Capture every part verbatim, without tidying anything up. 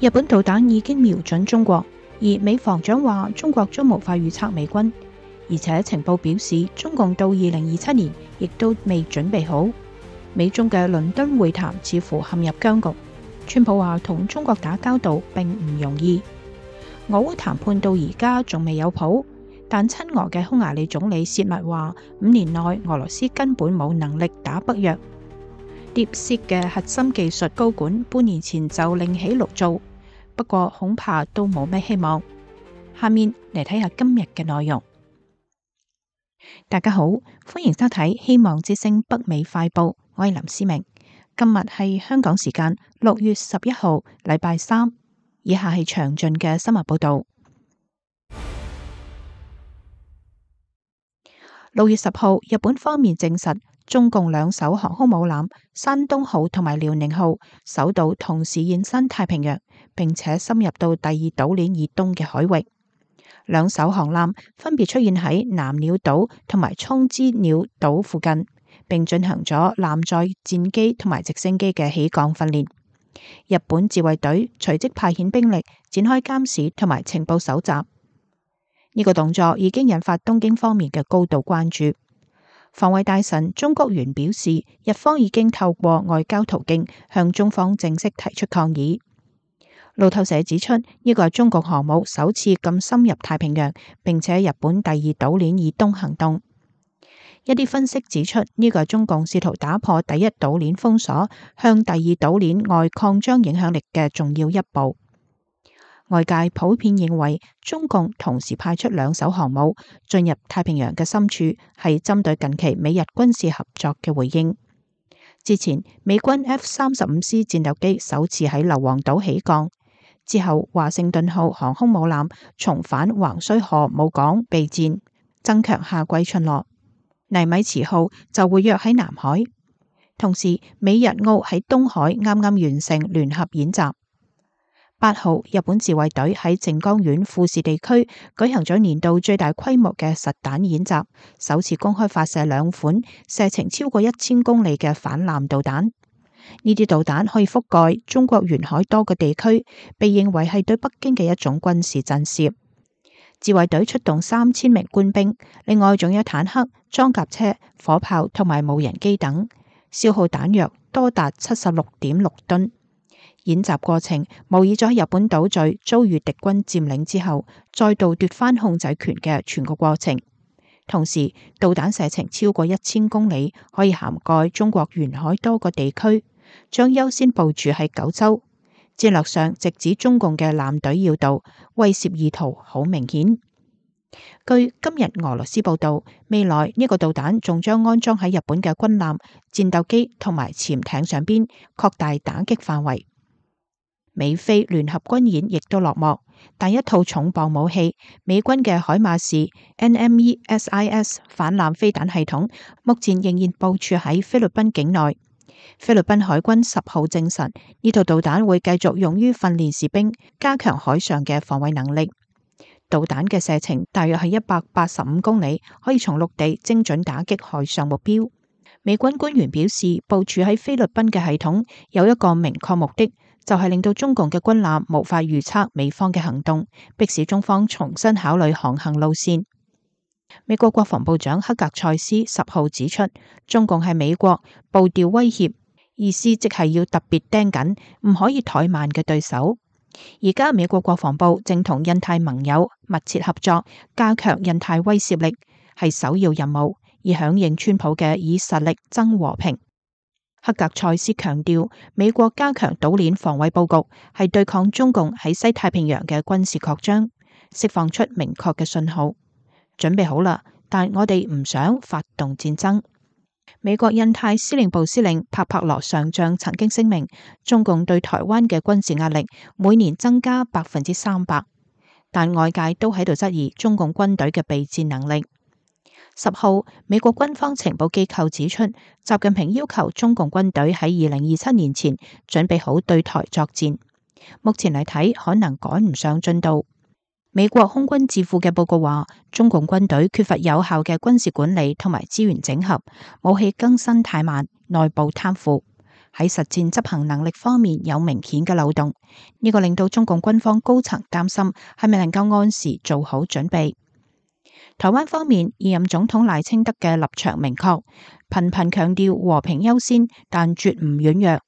日本導彈已經瞄準中國，而美防長話中國將無法預測美軍，而且情報表示中共到二零二七年亦都未準備好。美中嘅倫敦會談似乎陷入僵局，川普話同中國打交道並唔容易。俄烏談判到而家仲未有譜，但親俄嘅匈牙利總理薛密話五年內俄羅斯根本冇能力打北約。DeepSeek嘅核心技術高管半年前就另起爐灶，不過恐怕都冇咩希望。下面嚟睇下今日嘅內容。大家好，歡迎收睇希望之聲北美快報，我係林思明。今日係香港時間六月十一號，禮拜三。以下係詳盡嘅新聞報道。六月十號，日本方面證實，中共兩艘航空母艦山東號同埋遼寧號首度同時現身太平洋，並且深入到第二島鏈以東嘅海域。兩艘航艦分別出現喺南鳥島同埋沖之鳥島附近，並進行咗艦載戰機同埋直升機嘅起降訓練。日本自衛隊隨即派遣兵力展開監視同埋情報搜集。呢個動作已經引發東京方面嘅高度關注。防衛大臣中谷元表示，日方已經透過外交途徑向中方正式提出抗議。路透社指出，呢個係中國航母首次咁深入太平洋，並且日本第二島鏈以東行動。一啲分析指出，呢個係中共試圖打破第一島鏈封鎖，向第二島鏈外擴張影響力嘅重要一步。外界普遍認為，中共同時派出兩艘航母進入太平洋嘅深處，係針對近期美日軍事合作嘅回應。之前，美軍 F 三十五 C 戰鬥機首次喺硫磺島起降，之後華盛頓號航空母艦重返橫須賀母港備戰，增強夏季巡邏。尼米茨號就活躍喺南海，同時美日澳喺東海啱啱完成聯合演習。八號，日本自衛隊喺靜岡縣富士地區舉行咗年度最大規模嘅實彈演習，首次公開發射兩款射程超過一千公里嘅反艦導彈。呢啲導彈可以覆蓋中國沿海多個地區，被認為係對北京嘅一種軍事震懾。自衛隊出動三千名官兵，另外仲有坦克、裝甲車、火炮同埋無人機等，消耗彈藥多達七十六點六噸。演習過程模擬咗日本島嶼遭遇敵軍佔領之後，再度奪返控制權嘅全個過程。同時，導彈射程超過一千公里，可以涵蓋中國沿海多個地區，將優先部署喺九州。戰略上直指中共嘅艦隊要道，威懾意圖好明顯。據今日俄羅斯報道，未來呢個導彈仲將安裝喺日本嘅軍艦、戰鬥機同埋潛艇上邊，擴大打擊範圍。美菲聯合軍演亦都落幕，但一套重磅武器美軍嘅海馬士 N M E S I S 反艦飛彈系統，目前仍然部署喺菲律賓境內。菲律賓海軍十號證實，呢套導彈會繼續用於訓練士兵，加強海上嘅防衛能力。導彈嘅射程大約係一百八十五公里，可以從陸地精準打擊海上目標。美軍官員表示，部署喺菲律賓嘅系統有一個明確目的，就係令到中共嘅軍艦無法預測美方嘅行動，迫使中方重新考慮航行路線。美國國防部長克格塞斯十號指出，中共係美國步調威脅，意思即係要特別盯緊，唔可以怠慢嘅對手。而家美國國防部正同印太盟友密切合作，加強印太威懾力係首要任務，以響應川普嘅以實力爭和平。克格塞斯強調，美國加強島鏈防衛布局係對抗中共喺西太平洋嘅軍事擴張，釋放出明確嘅信號。準備好啦，但我哋唔想發動戰爭。美國印太司令部司令帕帕羅上將曾經聲明，中共對台灣嘅軍事壓力每年增加百分之三百，但外界都喺度質疑中共軍隊嘅備戰能力。十號，美國軍方情報機構指出，習近平要求中共軍隊喺二零二七年前準備好對台作戰。目前嚟睇，可能趕唔上進度。美國空軍智庫嘅報告話，中共軍隊缺乏有效嘅軍事管理同埋資源整合，武器更新太慢，內部貪腐。喺實戰執行能力方面有明顯嘅漏洞，呢個令到中共軍方高層擔心係咪能夠按時做好準備。台灣方面，現任總統賴清德嘅立場明確，頻頻強調和平優先，但絕唔軟弱。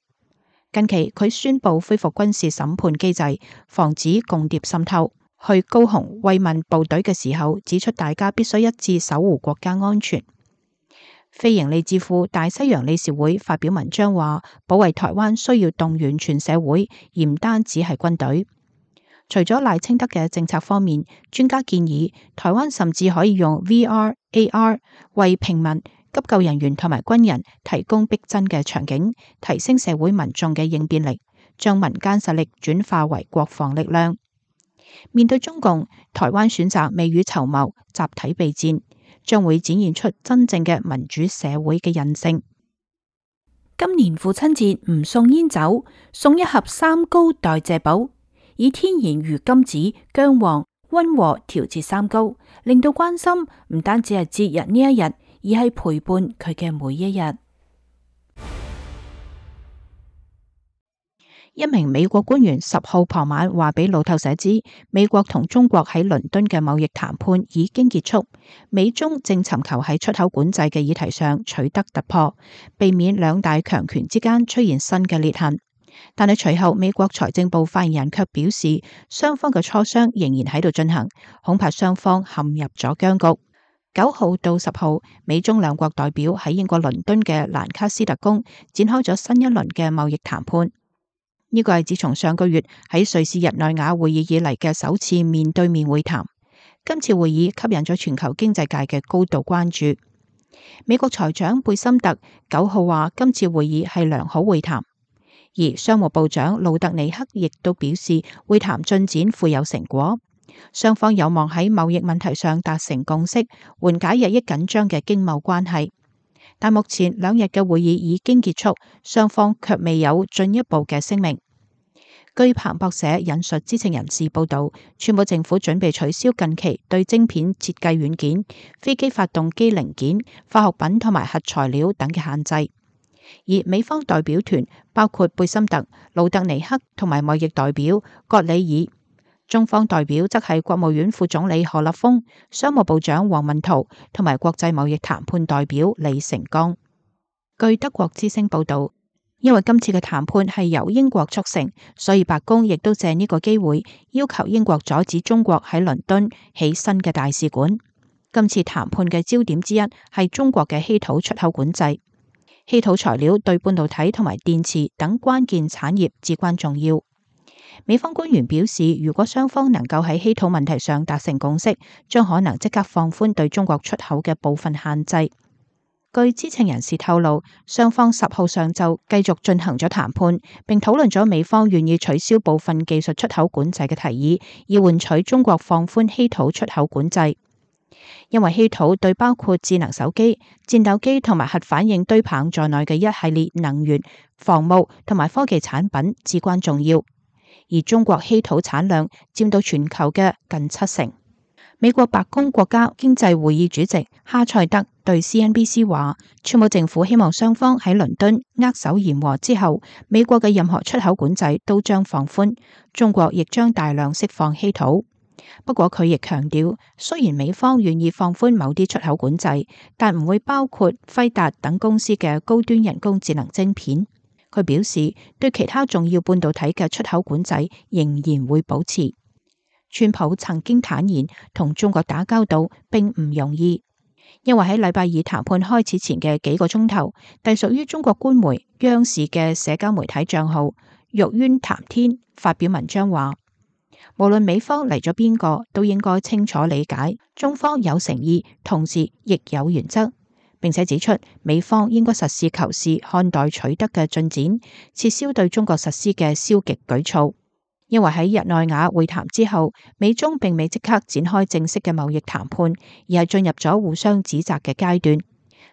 近期佢宣布恢復軍事審判機制，防止共諜滲透。去高雄慰問部隊嘅時候，指出大家必須一致守護國家安全。非營利智庫大西洋理事會發表文章話，保衛台灣需要動員全社會，而唔單止係軍隊。除咗賴清德嘅政策方面，專家建議台灣甚至可以用 V R、A R 為平民、急救人員同埋軍人提供逼真嘅場景，提升社會民眾嘅應變力，將民間實力轉化為國防力量。面對中共，台灣選擇未雨綢繆，集體備戰，將會展現出真正嘅民主社會嘅韌性。今年父親節唔送煙酒，送一盒三高代謝寶，以天然魚甘子、薑黃溫和調節三高，令到關心唔單止係節日呢一日，而係陪伴佢嘅每一日。一名美國官員十號傍晚話俾路透社知，美國同中國喺倫敦嘅貿易談判已經結束，美中正尋求喺出口管制嘅議題上取得突破，避免兩大強權之間出現新嘅裂痕。但係隨後美國財政部發言人卻表示，雙方嘅磋商仍然喺度進行，恐怕雙方陷入咗僵局。九號到十號，美中兩國代表喺英國倫敦嘅蘭卡斯特宮展開咗新一輪嘅貿易談判。呢個係自從上個月喺瑞士日內瓦會議以嚟嘅首次面對面會談。今次會議吸引咗全球經濟界嘅高度關注。美國財長貝森特九號話，今次會議係良好會談，而商務部長路特尼克亦都表示會談進展富有成果，雙方有望喺貿易問題上達成共識，緩解日益緊張嘅經貿關係。但目前兩日嘅會議已經結束，雙方卻未有進一步嘅聲明。據彭博社引述知情人士報道，川普政府準備取消近期對晶片設計軟件、飛機發動機零件、化學品同埋核材料等嘅限制。而美方代表團包括貝森特、魯特尼克同埋貿易代表葛里爾，中方代表則係國務院副總理何立峰、商務部長王文濤同埋國際貿易談判代表李成鋼。據德國之聲報道，因為今次嘅談判係由英國促成，所以白宮亦都借呢個機會要求英國阻止中國喺倫敦起新嘅大使館。今次談判嘅焦點之一係中國嘅稀土出口管制。稀土材料對半導體同埋電池等關鍵產業至關重要。美方官員表示，如果雙方能夠喺稀土問題上達成共識，將可能即刻放寬對中國出口嘅部分限制。據知情人士透露，雙方十號上晝繼續進行咗談判，並討論咗美方願意取消部分技術出口管制嘅提議，以換取中國放寬稀土出口管制。因為稀土對包括智能手機、戰鬥機同埋核反應堆棒在內嘅一系列能源、防務同埋科技產品至關重要，而中國稀土產量佔到全球嘅近七成。美國白宮國家經濟會議主席哈塞德對 C N B C 話，川普政府希望雙方喺倫敦握手言和之後，美國嘅任何出口管制都將放寬，中國亦將大量釋放稀土。不過佢亦強調，雖然美方願意放寬某啲出口管制，但唔會包括輝達等公司嘅高端人工智能晶片。佢表示，對其他重要半導體嘅出口管制仍然會保持。川普曾經坦言，同中國打交道並唔容易，因為喺禮拜二談判開始前嘅幾個鐘頭，隸屬於中國官媒央視嘅社交媒體賬號玉淵談天發表文章話，無論美方嚟咗邊個，都應該清楚理解中方有誠意，同時亦有原則，並且指出美方應該實事求是看待取得嘅進展，撤銷對中國實施嘅消極舉措。因為喺日內瓦會談之後，美中並未即刻展開正式嘅貿易談判，而係進入咗互相指責嘅階段。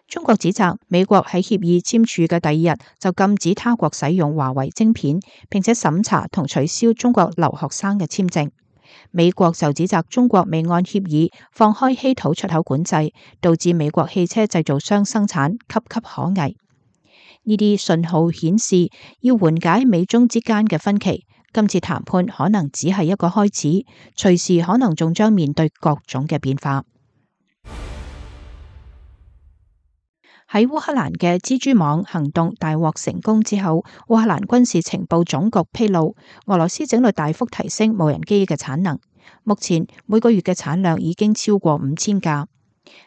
中國指責美國喺協議簽署嘅第二日就禁止他國使用華為晶片，並且審查同取消中國留學生嘅簽證。美國就指責中國未按協議放開稀土出口管制，導致美國汽車製造商生產岌岌可危。呢啲信號顯示，要緩解美中之間嘅分歧，今次談判可能只係一個開始，隨時可能仲將面對各種嘅變化。喺烏克蘭嘅蜘蛛網行動大獲成功之後，烏克蘭軍事情報總局披露，俄羅斯整理大幅提升無人機嘅產能，目前每個月嘅產量已經超過五千架。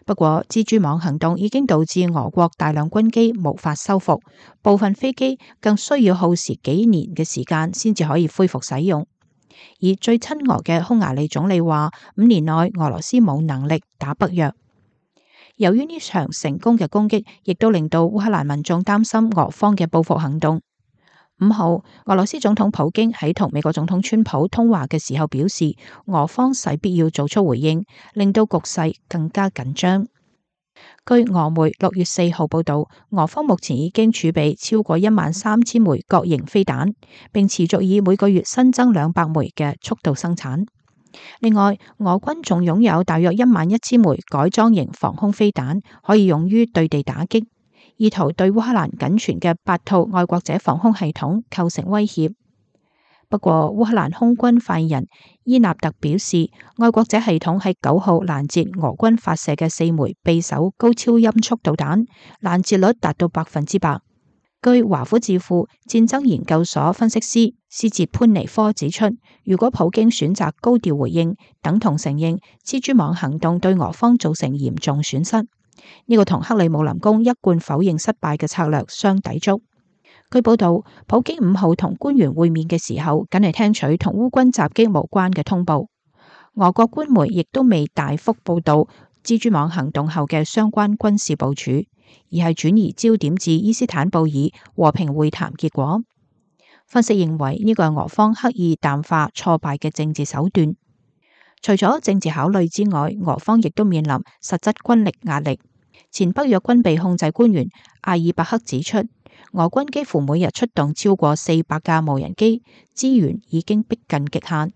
不過，蜘蛛網行動已經導致俄國大量軍機無法修復，部分飛機更需要耗時幾年嘅時間先至可以恢復使用。而最親俄嘅匈牙利總理話，五年內俄羅斯冇能力打北約。由於呢場成功嘅攻擊，亦都令到烏克蘭民眾擔心俄方嘅報復行動。五號，俄羅斯總統普京喺同美國總統川普通話嘅時候表示，俄方勢必要做出回應，令到局勢更加緊張。據俄媒六月四號報道，俄方目前已經儲備超過一萬三千枚各型飛彈，並持續以每個月新增兩百枚嘅速度生產。另外，俄軍仲擁有大約一萬一千枚改裝型防空飛彈，可以用於對地打擊，意圖對烏克蘭僅存嘅八套愛國者防空系統構成威脅。不過，烏克蘭空軍發言人伊納特表示，愛國者系統喺九號攔截俄軍發射嘅四枚匕首高超音速導彈，攔截率達到百分之百。據華府智庫戰爭研究所分析師斯捷潘尼科指出，如果普京選擇高調回應，等同承認蜘蛛網行動對俄方造成嚴重損失。呢個同克里姆林宮一貫否認失敗嘅策略相抵觸。據報道，普京五號同官員會面嘅時候，僅係聽取同烏軍襲擊無關嘅通報。俄國官媒亦都未大幅報道蜘蛛網行動後嘅相關軍事部署，而係轉移焦點至伊斯坦布爾和平會談結果。分析認為呢個係俄方刻意淡化挫敗嘅政治手段。除咗政治考慮之外，俄方亦都面臨實質軍力壓力。前北約軍備控制官員阿爾伯克指出，俄軍幾乎每日出動超過四百架無人機，資源已經逼近極限。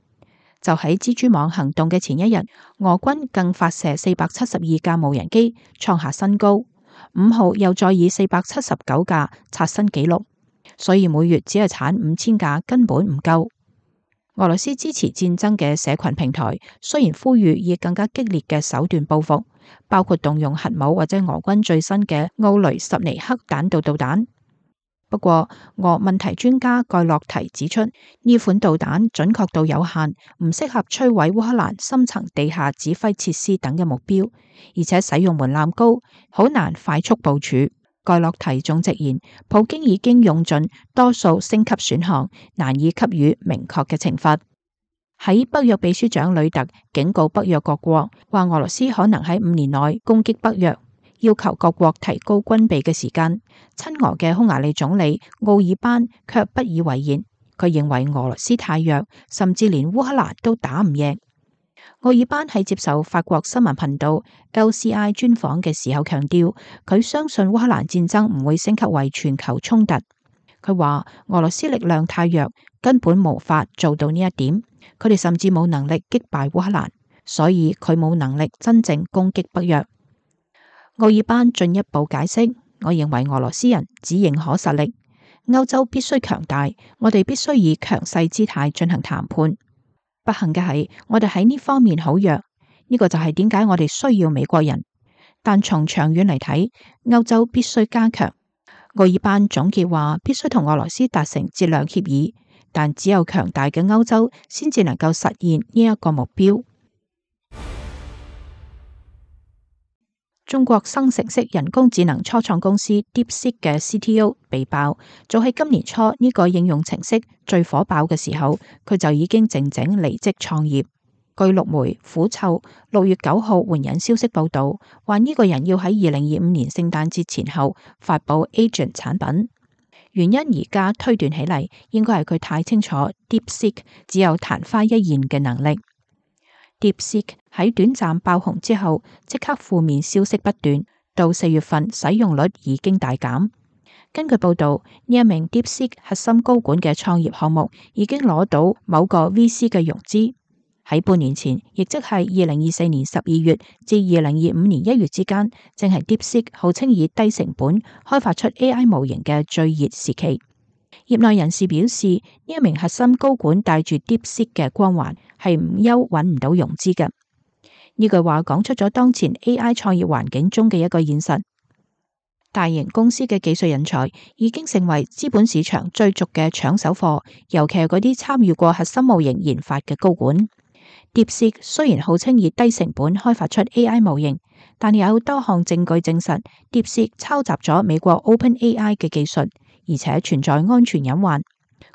就喺蜘蛛網行動嘅前一日，俄軍更發射四百七十二架無人機，創下新高。五號又再以四百七十九架刷新紀錄，所以每月只係產五千架根本唔夠。俄羅斯支持戰爭嘅社群平台雖然呼籲以更加激烈嘅手段報復，包括動用核武或者俄軍最新嘅奧雷什尼克彈道導彈。不過，俄問題專家蓋洛提指出，呢款導彈準確度有限，唔適合摧毀烏克蘭深層地下指揮設施等嘅目標，而且使用門檻高，好難快速部署。蓋洛提仲直言，普京已經用盡多數升級選項，難以給予明確嘅懲罰。喺北約秘書長呂特警告北約各國，話俄羅斯可能喺五年內攻擊北約，要求各國提高軍備嘅時間，親俄嘅匈牙利總理奧爾班卻不以為然。佢認為俄羅斯太弱，甚至連烏克蘭都打唔贏。奧爾班喺接受法國新聞頻道 L C I 專訪嘅時候強調，佢相信烏克蘭戰爭唔會升級為全球衝突。佢話俄羅斯力量太弱，根本無法做到呢一點。佢哋甚至冇能力擊敗烏克蘭，所以佢冇能力真正攻擊北約。奧爾班進一步解釋，我認為俄羅斯人只認可實力，歐洲必須強大，我哋必須以強勢姿態進行談判。不幸嘅係，我哋喺呢方面好弱，呢個就係點解我哋需要美國人。但從長遠嚟睇，歐洲必須加強。奧爾班總結話，必須同俄羅斯達成戰略協議，但只有強大嘅歐洲先至能夠實現呢一個目標。中國生成式人工智能初創公司 DeepSeek 嘅 C T O 被爆，早喺今年初呢個應用程式最火爆嘅時候，佢就已經靜靜離職創業。據陸媒虎嗅六月九號援引消息報道，話呢個人要喺二零二五年聖誕節前後發佈 Agent 產品。原因而家推斷起嚟，應該係佢太清楚 DeepSeek 只有曇花一現嘅能力。DeepSeek 喺短暫爆紅之後，即刻負面消息不斷，到四月份使用率已經大減。根據報道，呢一名 DeepSeek 核心高管嘅創業項目已經攞到某個 V C 嘅融資。喺半年前，亦即係二零二四年十二月至二零二五年一月之間，正係 DeepSeek 號稱以低成本開發出 A I 模型嘅最熱時期。業內人士表示，呢一名核心高管帶住 DeepSeek 嘅光環，係唔憂揾唔到融資嘅。呢句話講出咗當前 A I 創業環境中嘅一個現實。大型公司嘅技術人才已經成為資本市場追逐嘅搶手貨，尤其係嗰啲參與過核心模型研發嘅高管。DeepSeek 雖然號稱以低成本開發出 A I 模型，但有多項證據證實 DeepSeek 抄襲咗美國 OpenAI 嘅技術，而且存在安全隱患。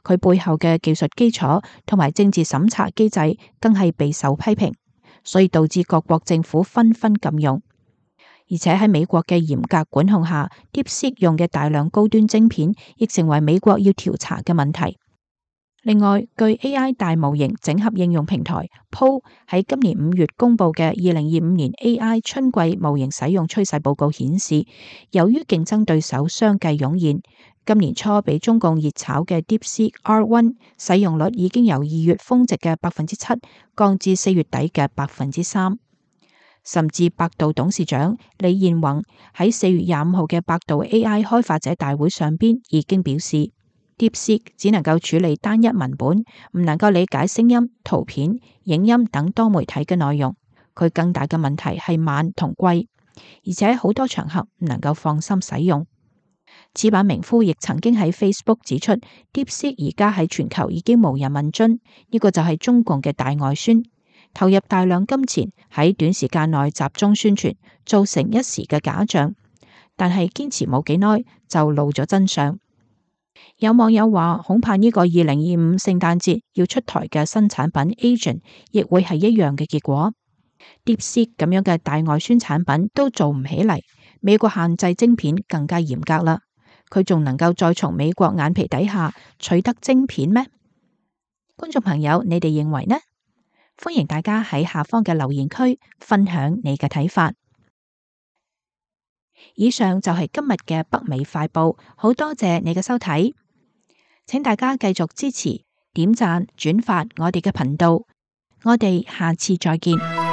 佢背後嘅技術基礎同埋政治審查機制更係備受批評，所以導致各國政府紛紛禁用。而且喺美國嘅嚴格管控下， DeepSeek 用嘅大量高端晶片亦成為美國要調查嘅問題。另外，據 A I 大模型整合應用平台 P O 喺今年五月公布嘅二零二五年 A I 春季模型使用趨勢報告顯示，由於競爭對手相繼湧現，今年初被中共熱炒嘅 DeepSeek R 一 使用率已經由二月峰值嘅百分之七降至四月底嘅百分之三。甚至百度董事長李彥宏喺四月廿五號嘅百度 A I 開發者大會上邊已經表示， DeepSeek 只能夠處理單一文本，唔能夠理解聲音、圖片、影音等多媒體嘅內容。佢更大嘅問題係慢同貴，而且好多場合唔能夠放心使用。此版名夫亦曾經喺 Facebook 指出， DeepSeek 而家喺全球已經無人問津，呢個就係中共嘅大外宣。投入大量金錢喺短時間內集中宣傳，造成一時嘅假象，但係堅持冇幾耐就露咗真相。有網友話，恐怕呢個二零二五聖誕節要出台嘅新產品 Agent 亦會係一樣嘅結果。DeepSeek 咁樣嘅大外宣產品都做唔起嚟，美國限制晶片更加嚴格啦。佢仲能夠再從美國眼皮底下取得晶片咩？觀眾朋友，你哋認為呢？歡迎大家喺下方嘅留言區分享你嘅睇法。以上就係今日嘅北美快報，好多謝你嘅收睇，請大家繼續支持、點讚、轉發我哋嘅頻道，我哋下次再見。